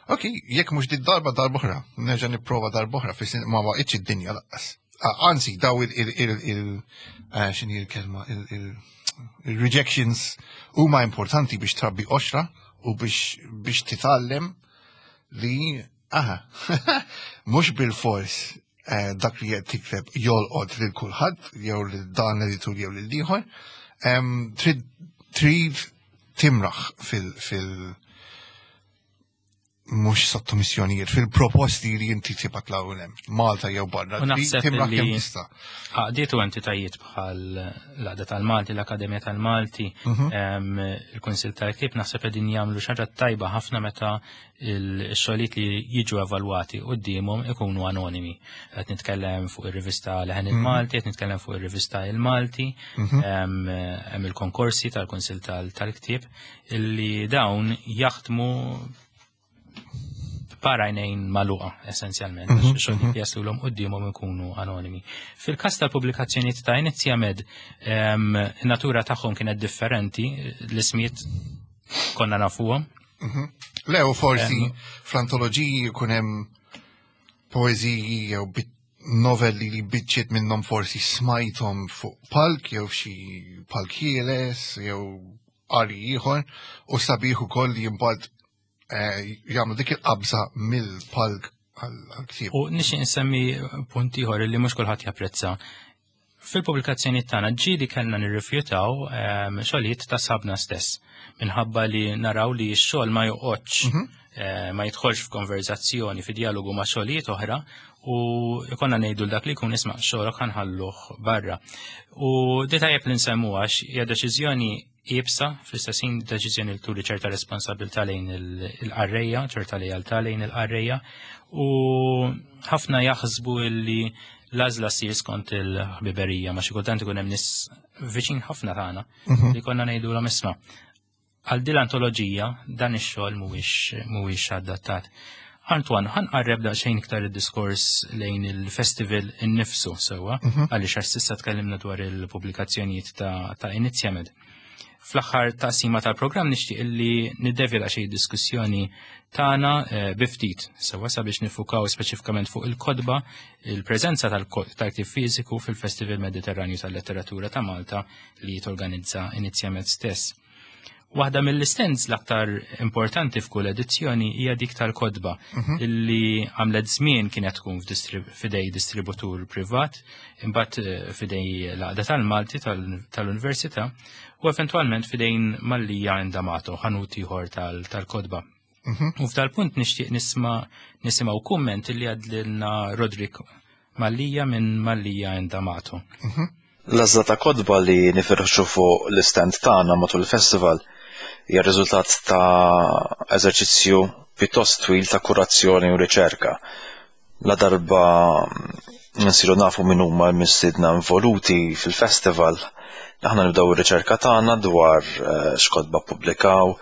ok, jekk mhux dit darba darba oħra, nerġa' nipprova darba oħra fis ma waqitx id-dinja laqqas. Anzi, daw il il eh, x'inhi l-kelma il-rejections huma importanti biex trabbi oxra u biex biex titgħallem li aha, mhux bil-fors eh, dak li qed tikteb jolqot lil kulħadd jew lil dan l-editur jew lil ieħor. Trid trid timraħ fil, fil mhux sottomissjonijiet, fil-proposti li inti tibgħat l hemm, Malta jew barra. U naħseb Timraħ li- kemm tista'. Għaqdiet u entitajiet bħal l-Għaqda tal-Malti, l-Akademja tal-Malti, il-Kunsil tal-Ktieb naħseb qegħdin jagħmlu xi ħaġa tajba ħafna meta il-xogħlijiet li jiġu evalwati qudiemhom ikunu anonimi. Qed nitkellem fuq ir-rivista Leħen il-Malti, qed nitkellem fuq ir-rivista Il-Malti, hemm il-konkorsi tal-Kunsil tal-Ktieb illi dawn jaħdmu parajnejn maluqa, essenzjalment, għax xogħlijiet li jaslulhom qudiemhom ikunu anonimi. Fil-każ tal-pubblikazzjonijiet ta' Inizjamed, in-natura tagħhom kienet differenti, l-ismijiet konna nafuhom. Le, u forsi fl-antoloġiji jkun hemm poeżiji jew novelli li biċċiet minnhom forsi smajthom fuq palk jew xi palk ħieles jew qari ieħor u sabiħ ukoll li mbagħad jagħmlu dik il-qabża mill-palk għall-ktieb. U nixtieq insemmi punt ieħor li mhux kulħadd japprezza. Fil-pubblikazzjoni tagħna ġieli kellna nirrifjutaw xogħlijiet ta' sħabna stess minħabba li naraw li x-xogħol ma joqgħodx ma jidħolx f'konverzazzjoni, fi dialogu ma' xogħlijiet oħra u ikonna ngħidu dak li jkun isma' xogħolok ħa nħalluh barra. U di tajjeb li nsemmu għax hija deċiżjoni iebsa, fl-istess ħin deċiżjoni li turi ċerta responsabilità lejn il-qarrejja, ċerta lealtà lejn il-qarrejja u ħafna jaħsbu illi l-għażla ssir skont il-ħbiberija, ma xi kultant ikun hemm nies viċin ħafna tagħna li konna ngħidulhom isma' għal din l-antoloġija dan ix-xogħol mhuwiex adattat. Antoine, ħa nqarreb daqsxejn iktar id-diskors lejn il-festival innifsu sewwa, għaliex għax s'issa tkellimna dwar il-pubblikazzjonijiet ta' Inizjamed. Fl-aħħar taqsima tal-programm nixtieq illi niddevja daqsxejn diskussjoni tagħna bi ftit sewwa sabiex nifukaw speċifikament fuq il-kotba, il-preżenza tal-ktieb fiżiku fil-Festival Mediterranju tal-Letteratura ta' Malta li torganizza Inizjamed stess. Waħda mill-stands l-aktar importanti f'kull edizzjoni hija dik tal-kotba illi għamlet żmien kienet tkun f'idej distributur privat, imbagħad f'idej l-Għaqda tal-Malti tal-Università u eventwalment f'idejn Mallia and D'Amato, ħanut ieħor tal-kotba. U f'dal-punt nixtieq nisimgħu kumment illi għadlilna Roderick Mallia minn Mallia and D'Amato. L-għażla ta' kotba li nifirxu fuq l-istand tagħna matul il-festival hija riżultat ta' eżerċizzju pjuttost twil ta' kurazzjoni u riċerka. La darba nsiru nafu min huma l-mistiedna involuti fil-festival, aħna nibdew ir-riċerka tagħna dwar x'kotba ppubblikaw,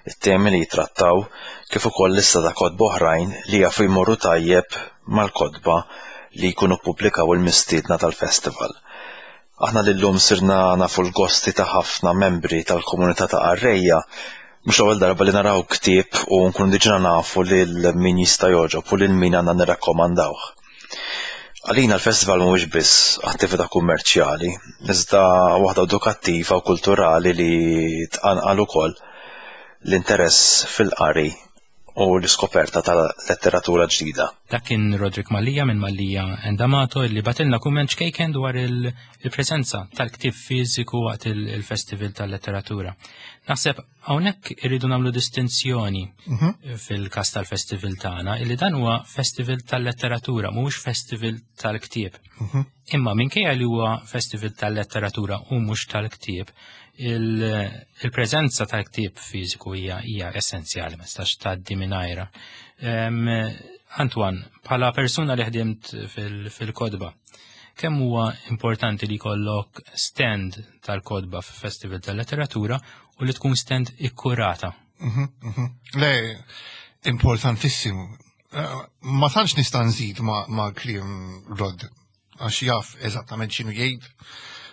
it-temi li jitrattaw, kif ukoll lista ta' kotba oħrajn li jafu jmorru tajjeb mal-kotba li jkunu ppubblikaw il-mistiedna tal-festival. Aħna li llum sirna nafu l-gosti ta' ħafna membri tal-komunità ta' qarrejja, mhux l-ewwel darba li naraw ktieb u nkunu diġà nafu lil min jista' jogħġob u lil min għandna nirrakkomandawh. Għalina l-festival mhuwiex biss attività kummerċjali, iżda waħda edukattiva u kulturali li tqanqal ukoll l-interess fil-qari u l-iskoperta tal-letteratura ġdida. Dak kien Roderick Mallia minn Mallia and D'Amato illi bagħtilna kumment ċkejken dwar il-preżenza tal-ktieb fiżiku waqt il-Festival tal-Letteratura. Naħseb hawnhekk irridu nagħmlu distinzjoni fil-każ tal-festival tagħna illi dan huwa festival tal-letteratura, mhuwiex festival tal-ktieb. Imma minkejja li huwa festival tal-letteratura u mhux tal-ktieb, il-preżenza tal-ktieb fiżiku hija essenzjali, ma tistax tgħaddi mingħajrha. Antoine, bħala persuna li ħdimt fil-kotba, kemm huwa importanti li jkollok stand tal-kotba f'festival tal-letteratura u li tkun stand ikkurata? Le, importantissimu. Ma tantx nista' nżid ma' kliem Rod, għax jaf eżattament x'inhu jgħid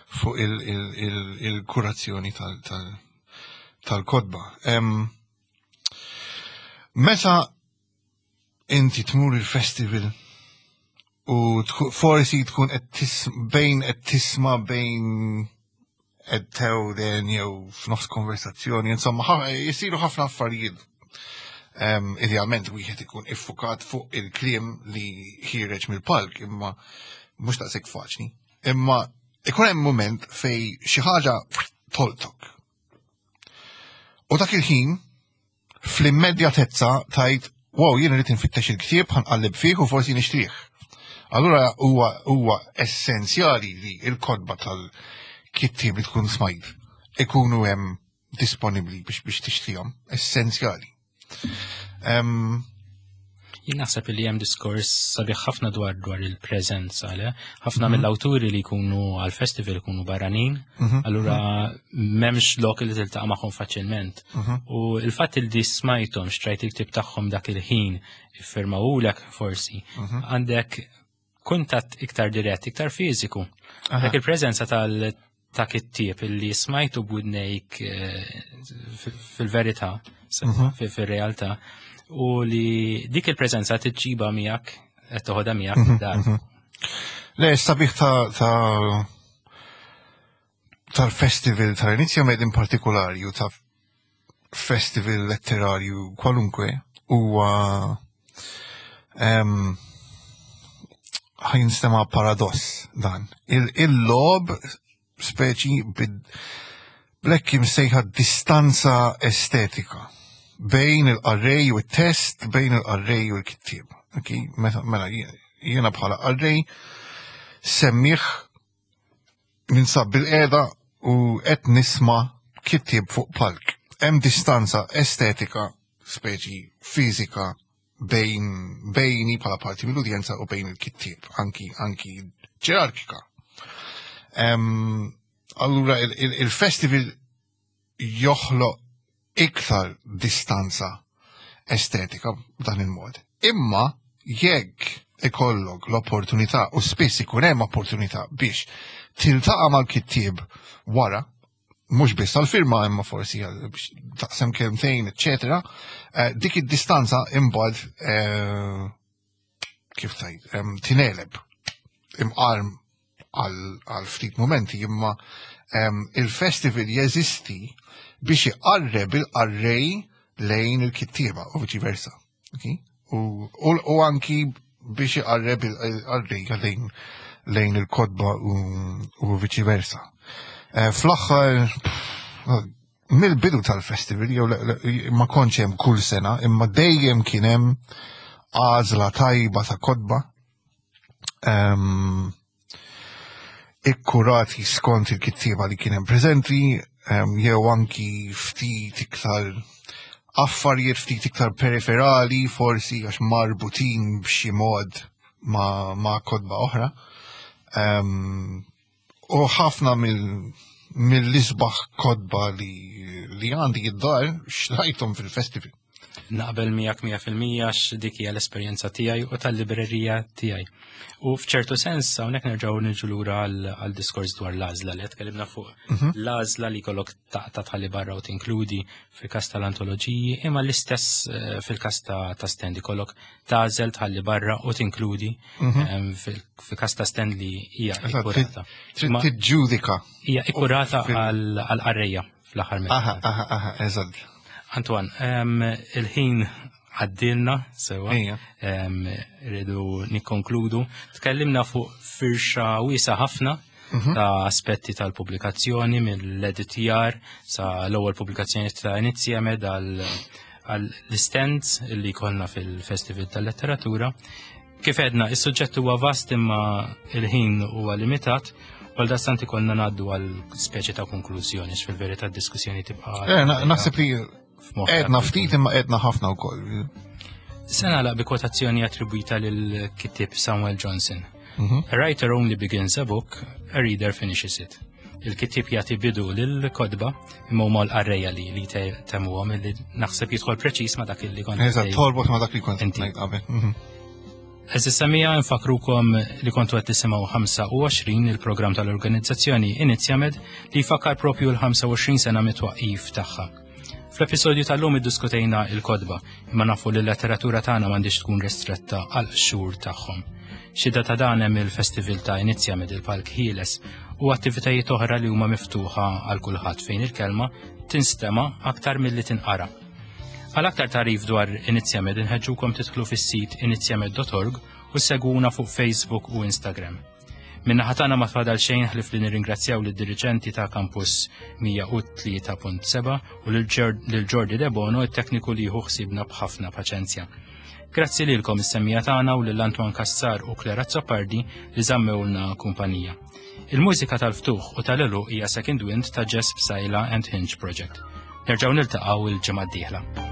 fuq il-kurazzjoni tal-kotba. Meta inti tmur il-festival u forsi tkun qed bejn qed tisma' bejn qed tewden jew f'nofs konversazzjoni, insomma, jisiru ħafna affarijiet. Idealment wieħed ikun iffukat fuq il-kliem li ħireġ mill-palk, imma mhux daqshekk faċli. Imma ikun hemm mument fej xi ħaġa toltok. U dak il-ħin fl-immedjatezza tajt, wow, jien irid infittex il-ktieb, ħanqallib fih u forsi nixtrih. Allura huwa huwa essenzjali li il-kotba tal-kittieb li tkun smajt ikunu hemm disponibbli biex biex tixtrihom, essenzjali. Jien naħseb li hemm diskors sabiħ ħafna dwar dwar il-preżenza, le? Ħafna mill-awturi li jkunu għal-festival jkunu barranin, allura m'hemmx lok li tiltaqa' magħhom faċilment. U il-fatt li di smajthom xtrajt il-ktieb tagħhom dak il-ħin iffirmawulek forsi, għandek kuntatt iktar dirett, iktar fiżiku. Dak il-preżenza tal ta' kittieb illi smajtu b'widnejk fil-verità, fil-realtà, u li dik il-preżenza tiġġiba miegħek qed toħodha miegħek dar. Le, sabiħ ta' tal-festival tal-Inizjamed in partikolari u ta' festival letterarju kwalunkwe huwa ħa jinstema' paradoss dan. Il-logħob speċi bl-hekk imsejħa distanza estetika bejn il-qarrej u t-test, bejn il-qarrej u l-kittieb. Okay? Mela jiena bħala qarrej semmiħ ninsab bil-qeda u qed nisma' kittieb fuq palk. Hemm distanza estetika, speċi fiżika bejn bejni bħala parti mill-udjenza u bejn il-kittieb, anki anki ġerarkika. Allura il-festival joħloq iktar distanza estetika b'dan il-mod. Imma jekk ikollok l-opportunità u spiss ikun hemm opportunità biex tiltaqa' mal-kittieb wara, mhux biss għal-firma imma forsi biex taqsem kelmtejn, eċetera, dik id-distanza imbagħad kif tajt, tineleb imqarm għal ftit momenti imma il-festival jeżisti biex iqarreb il-qarrej lejn il-kittieba u viċi versa. Okay? U anki biex iqarreb il-qarrej lejn il-kotba u viċi versa. Fl-aħħar mill-bidu tal-festival, jew ma kontx hemm kull sena, imma dejjem kien hemm għażla tajba ta' kotba ikkurati skont il-kittieba li kien hemm preżenti, jew anki ftit iktar affarijiet ftit iktar periferali, forsi għax marbutin b'xi mod ma kotba oħra. U ħafna mill-isbaħ kotba li għandi id-dar xtrajthom fil-festival. Naqbel miegħek 100% għax dik hija l-esperjenza tiegħi u tal-librerija tiegħi. U f'ċertu sens hawnhekk nerġgħu niġu lura għal diskors dwar l-għażla li tkellimna fuq l-għażla li jkollok taqta' tħalli barra u tinkludi fil-każ tal-antoloġiji, imma l-istess fil-każ ta' stand ikollok tagħżel tħalli barra u tinkludi fil-każ ta' stand li hija ikkurata. Trid tiġġudika. Hija ikkurata għal qarrejja fl-aħħar minn. Aha, aha, aha, eżatt. Antoine, il-ħin għaddilna sewa, rridu nikkonkludu. Tkellimna fuq firxa wiesa ħafna ta' aspetti tal-pubblikazzjoni mill-editjar sa l-ewwel pubblikazzjoni ta' Inizjamed għall-stands li konna fil-Festival tal-Letteratura. Kif edna, is-suġġett huwa vast imma il-ħin huwa limitat, għal dastant ikollna ngħaddu għal speċi ta' konklużjoni, fil-verità d-diskussjoni tibqa'. Naħseb li edna ftit imma edna ħafna wkoll. Se nagħlaq bi kwotazzjoni attribwita lil kittieb Samuel Johnson. A writer only begins a book, a reader finishes it. Il-kittieb jagħti bidu lil kotba imma huma l-qarrejja li temmuhom li naħseb jidħol preċiż ma' dak li kont. Eżatt, torbot ma' dak li kont ngħid qabel. Għeżież semmiegħa, nfakkrukom li kontu qed tisimgħu 25, il-programm tal-organizzazzjoni Inizjamed li jfakkar propju l-25 sena mit-twaqqif tagħha. Fl-episodju tal-lum iddiskutejna il-kotba, imma nafu li l-letteratura tagħna m'għandix tkun ristretta għal xhur tagħhom. Xhieda ta' dan hemm il-festival ta' Inizjamed, il-Palk Ħieles. u attivitajiet oħra li huma miftuħa għal kulħadd fejn il-kelma tinstema' aktar milli tinqara. Għal aktar tagħrif dwar Inizjamed inħeġġukom tidħlu fis-sit inizjamed.org u segwuna fuq Facebook u Instagram. Minna ħatana ma tfadal xejn ħlif li nirringrazzjaw lid diriġenti ta' Campus 103.7 u lil Jordi Debono it-tekniku li jieħu ħsiebna b'ħafna paċenzja. Grazzi lilkom is-semmija tagħna u lil Antoine Kassar u Claire Azzopardi li żammewlna kumpanija. Il-mużika tal-ftuħ u tal-elu hija Second Wind ta' Jess Psaila and Hinge Project. Nerġgħu niltaqgħu il-ġimgħa d-dieħla.